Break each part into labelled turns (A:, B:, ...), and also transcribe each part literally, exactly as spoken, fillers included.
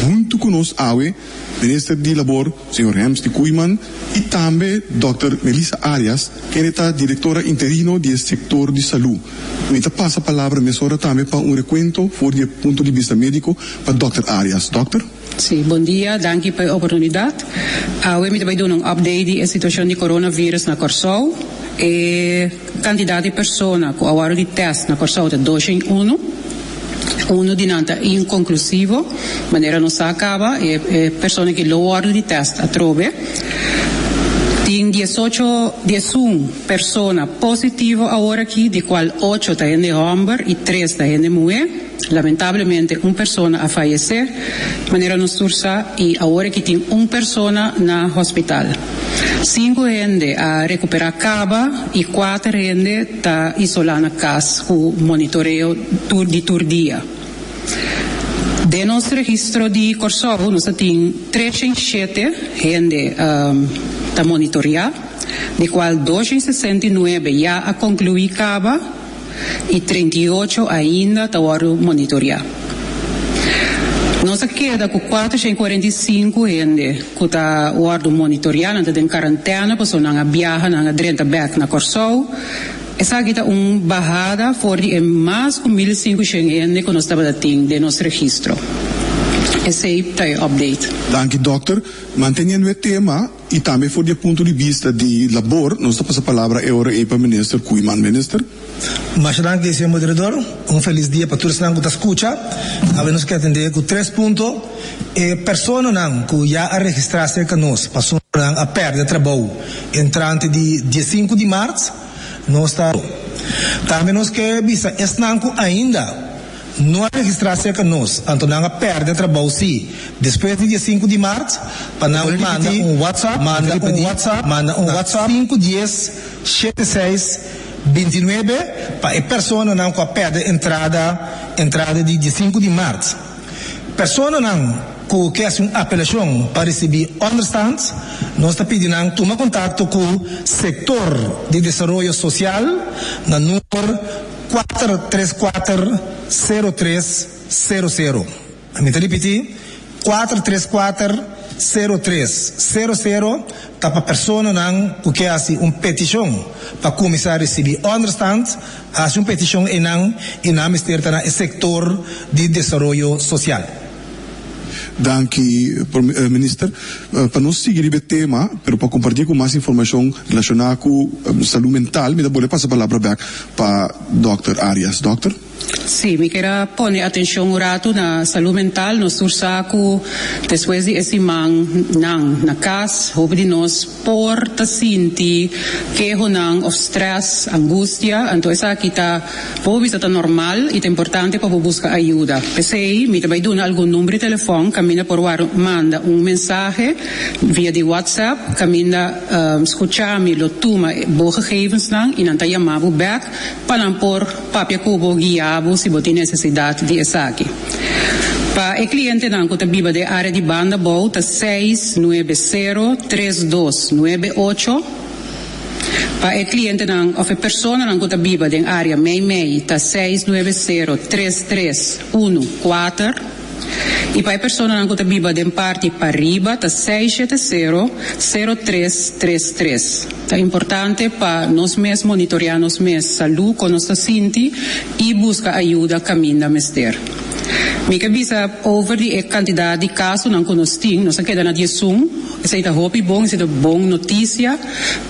A: Huntu ku nos awe, Minister di Labor, señor Hemsley Koeiman, i tambe Dòkter Melissa Arias, ku ta direktora interino di sektor di salú. Mi ta pasa palabra mesora tambe pa un rekuento for di punto di bista médiko pa Dòkter Arias. Dòkter?
B: Sí, bon dia, danki pa e oportunidat. Awe mi ta bai duna un update di e situashon di coronavirus na Kòrsou. E kantidat di persona ku a wòrdu di test na Kòrsou ta dos shen un. Uno di nan ta inkonklusivo, manera nos a kaba, e, e persona ku lo wòrdu di test atrobe. Tin diesocho, diesun persona positivo awor aki, di kual ocho ta hende hòmber i tres ta hende muhé. Lamentablemente, un persona a fayesé, manera nos tur sa, i awor aki tin un persona na hospital. Sinku hende a rekuperá kaba i kuater hende ta isolá na kas ku monitoreo tur di tur dia. Den nos registro di Kòrsou, nos tin tres shen shete hende um, ta monitoriá, di kual dos shen sesenta i nuebe ya a konkluí kaba i trinta i ocho ainda ta monitoriá. Nos a keda ku kuater shen kuarenta i sinku hende ku ta wòrdu monitoriá, nan ta den kuarentena, pasobra nan a biaha, nan a drenta bèk na Kòrsou. Esaki ta un bahada for di mas ku mil sinkushen hende ku nos tabatin den nos registro. Esei ta e update.
A: Danki, dòkter. Manteniendo e tema i tambe for di punto di bista di labor, nos ta pasa palabra awor pa Minister Koeiman. Minister?
C: Masha danki, señor moderador. Un felis dia pa tur ku ta skucha. Awe nos ke atendé ku tres punto. E personanan ku ya a registrá serka nos, pasobra nan a pèrdè trabou entrante di diesinku di mart, nos ta tambe nos ke bisa esnan ku ainda no a registrá serka nos, anto nan a pèrdè trabou sí, despues di diesinku di mart, pa nan manda un WhatsApp, manda un WhatsApp, manda un WhatsApp sinku dies shete seis bintinuebe pa e personanan ku a pèrdè entrada entrada di diesinku di mart. Personanan ku ke hasi un apelashon pa risibí onderstand, nos ta pidiendo nan tuma kontakto ku sektor di desaroyo sosial na number kuater tres kuater sero tres sero sero. Mi ta ripití, kuater tres kuater sero tres sero sero ta pa personanan ku ke hasi un petishon pa kuminsá risibí onderstand, hasi un petishon einan i nan mester ta na sektor di desaroyo sosial.
A: Danki, eh, Minister. Eh, pa nos sigui e tema, pero pa kompartí ku mas informashon relashoná ku eh, salú mental, mi ta bolbe pasa palabra bèk pa Dòkter Arias. Dòkter?
B: Sí, mi ke pone atenshon un ratu na salú mental. Nos tur sa ku despues di e simannan na kas, hopi di nos por ta sinti kehonan òf stress, angustia, anto esaki ta por ta normal i ta importante pa buska ayudo. P'esei, mi ta bai duna algun number di telefòn, kaminda por manda un mensahe via di WhatsApp, kaminda um, Skuchami lo tuma bo gegevensnan i nan ta yama bo bèk pa nan por papia ku bo, guia bo si bo tin nesesidat di esaki. Pa e klientenan ku ta biba den área di Banda Bou ta seis nuebe sero tres dos nuebe ocho. Pa e klientenan òf e personanan ku ta biba den área mei mei ta seis nuebe sero tres tres un kuater. I pa e personanan ku ta biba den parti pariba ta seis shete sero sero tres tres tres. Ta importante pa nos mes monitoriá nos mes salú, kon nos ta sinti i buska ayudo kaminda mester. Mi ke bisa over di e kantidat di kasonan ku nos tin, nos a keda na diesun, esei ta hopi bon, esei ta bon notisia,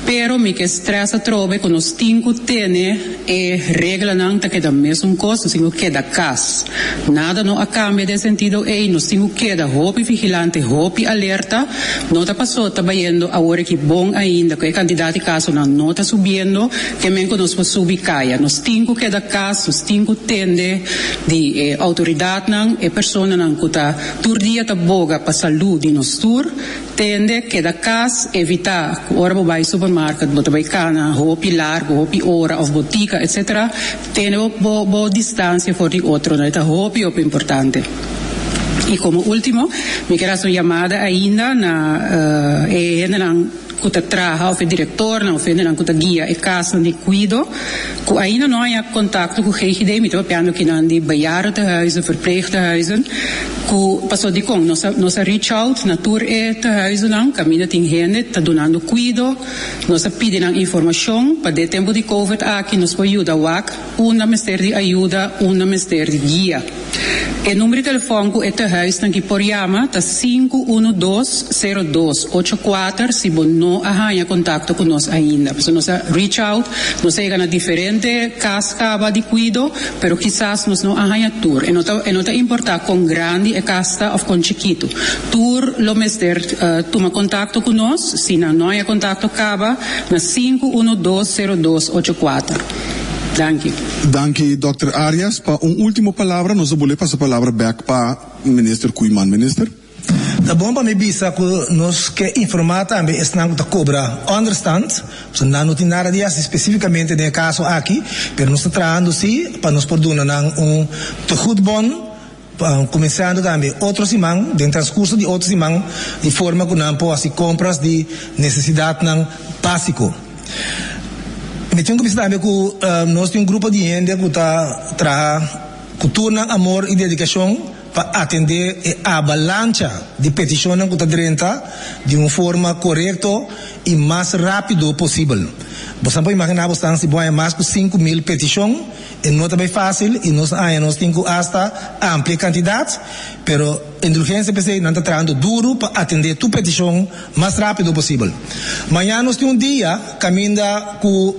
B: pero mi ke stress atrobe ku nos tin ku tene e reglanan ta keda mesun kos, nos tin ku keda kas. Nada no a kambia den sentido ei, nos tin ku keda hopi vigilante, hopi alerta, no ta pasó ta bayendo awor aki bon ainda, ku e kantidat di kasonan no ta subiendo, ke men ku nos por subi kaya. Nos tin ku keda kas, nos tin ku tende di eh, outoridatnan, e personanan ku ta tur dia ta boga pa salú di nos tur, tende keda kas, evitá ora bo bai supermarket, bo ta bai kana, hopi largu, hopi ora, òf botika, et cetera. Tene bo, bo distansia for di otro, no? Ta hopi, hopi importante. I komo último, mi ke hasi un yamada ainda na uh, e ku ta traha òf e direktornan òf hendenan ku ta guia e kasnan di kuido ku ainda no a haña kontakto ku G G D. Mi ta papiando akinan di bejaardentehuizen, verpleegtehuizen, ku paso dikon nos a nos a reach out na tur e tehuizennan kaminda tin hende ta dunando kuido. Nos a pidi nan informashon pa den tempu di COVID aki nos por yuda wak unda mester di ayuda, unda mester di guia. E number di telefòn ku e tehuisnan aki por yama ta sinku un dos, sero dos, ocho kuater si bo no a haña kontakto ku nos ainda. Pasobra nos a reach out, nos a yega na diferente kas kaba di kuido, pero kisas nos no a haña tur. E no ta, e no ta importá kon grandi e kas ta òf kon chikitu. Tur lo mester uh, tuma kontakto ku nos, si nan no haña kontakto kaba, na sinku un dos, sero dos, ocho kuater. Danki.
A: Danki, Dòkter Arias. Pa un último palabra, nos ta bolbe pasa palabra bèk pa Minister Koeiman. Minister?
C: Ta bon pa mi bisa ku nos ke informá tambe esnan ku ta kobra onderstand, so nan no tin nada di hasi spesífikamente den e kaso aki, pero nos ta trahando sí pa nos por duna nan un tegoedbon, kuminsando tambe otro siman, den transkurso di otro siman, di forma ku nan por hasi kompras di nesesidatnan básiko. Mi tin ku bisa tambe ku uh, nos tin un grupo di hende ku ta traha ku tur nan amor i dedikashon pa atendé e avalancha di petishonnan ku ta drenta di un forma korekto i mas rápido posibel. Bo por imaginá bo si bo mas ku sinku mil petishon, e no ta fásil i nos ainda nos tin ku asta amplia kantidat, pero indulgensia p'esei nan ta trahando duru pa atendé tur petishon mas rápido posibel. Mañan nos tin un dia kaminda ku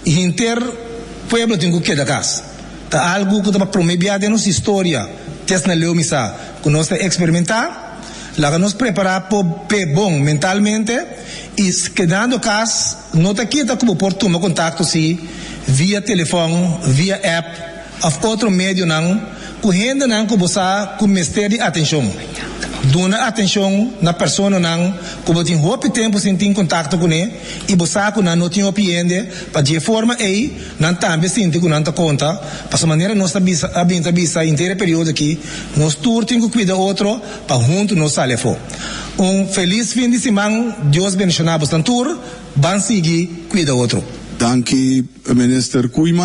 C: henter pueblo tin ku keda kas. Ta algu ku ta promé den nos historia, te na leu mi sa, ku nos ta eksperimentá, laga nos prepará pa bon mentalmente i kedando kas no ta kita ku por tuma kontakto si via telefòn, via app òf otro medionan ku hendenan ku bo sa ku mester di atenshon. Duna atenshon na personanan ku bo tin hopi tempu sin tin kontakto kuné i bo sa ku nan no tin hopi hende pa di forma ei nan tambe sinti ku nan ta konta. Pa manera nos a bisa a bin bisa henter e periodo aki, nos tur tin ku kuida otro pa huntu nos sali afó. Un felis fin di siman, Dios bendishoná boso tur, ban sigui kuida otro.
A: Danki, Minister Koeiman.